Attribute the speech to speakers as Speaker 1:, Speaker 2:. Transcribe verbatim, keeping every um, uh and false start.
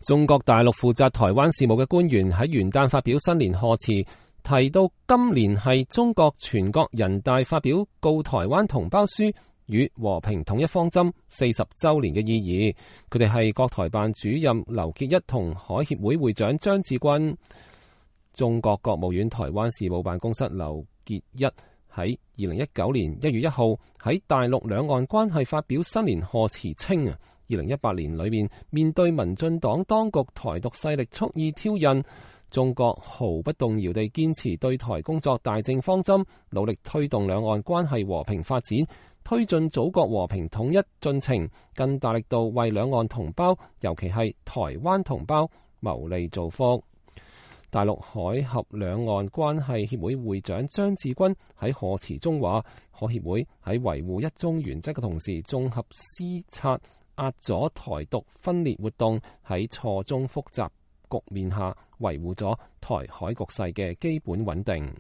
Speaker 1: 中國大陸負責台灣事務嘅官員喺元旦發表新年賀詞，提到今年係中國全國人大發表告台灣同胞書與和平統一方針四十週年嘅意義。佢哋係國台辦主任劉結一同海協會會長張志軍。中國國務院台灣事務辦公室劉結一喺二零一九年一月一號喺大陸兩岸關係發表新年賀詞，稱啊，二零一八年裏面面對民進黨當局台獨勢力蓄意挑釁，中國毫不動搖地堅持對台工作大政方針，努力推動兩岸關係和平發展，推進祖國和平統一進程，更大力度為兩岸同胞，尤其係台灣同胞謀利造福。大陸海峽兩岸關係協會會長張志軍喺賀詞中話，海協會喺維護一中原則嘅同時，綜合施策壓咗台獨分裂活動，喺錯綜複雜局面下維護咗台海局勢嘅基本穩定。